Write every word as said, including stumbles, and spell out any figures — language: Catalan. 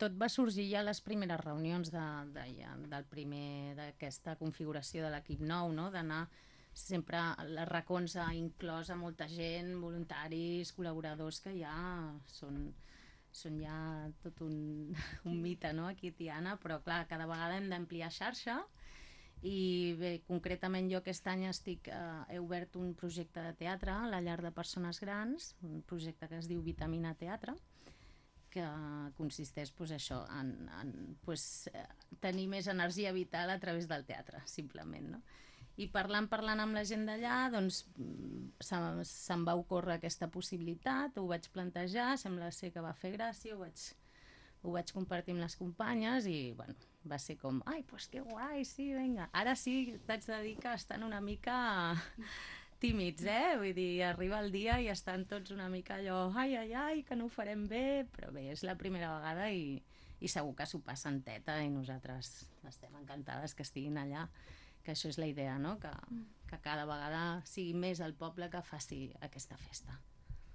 tot va sorgir ja a les primeres reunions de, de, ja, del primer d'aquesta configuració de l'equip nou, no? D'anar sempre les racons ha inclòs a molta gent, voluntaris, col·laboradors que ja són, són ja tot un, un mite, no? Aquí a Tiana, però clar, cada vegada hem d'ampliar xarxa i bé, concretament jo aquest any estic, eh, he obert un projecte de teatre a la llar de persones grans, un projecte que es diu Vitamina Teatre, que consisteix pues, això, en, en pues, tenir més energia vital a través del teatre, simplement. No? I parlant, parlant amb la gent d'allà, doncs se'm, se'm va ocórrer aquesta possibilitat, ho vaig plantejar, sembla ser que va fer gràcia, ho vaig, ho vaig compartir amb les companyes i bueno, va ser com, ai, pues que guai, sí, vinga. Ara sí, t'haig de dir que estan una mica tímids, eh? Vull dir, arriba el dia i estan tots una mica allò, ai, ai, ai, que no ho farem bé, però bé, és la primera vegada i, i segur que s'ho passen teta i nosaltres estem encantades que estiguin allà, que això és la idea, no? Que, que cada vegada sigui més el poble que faci aquesta festa.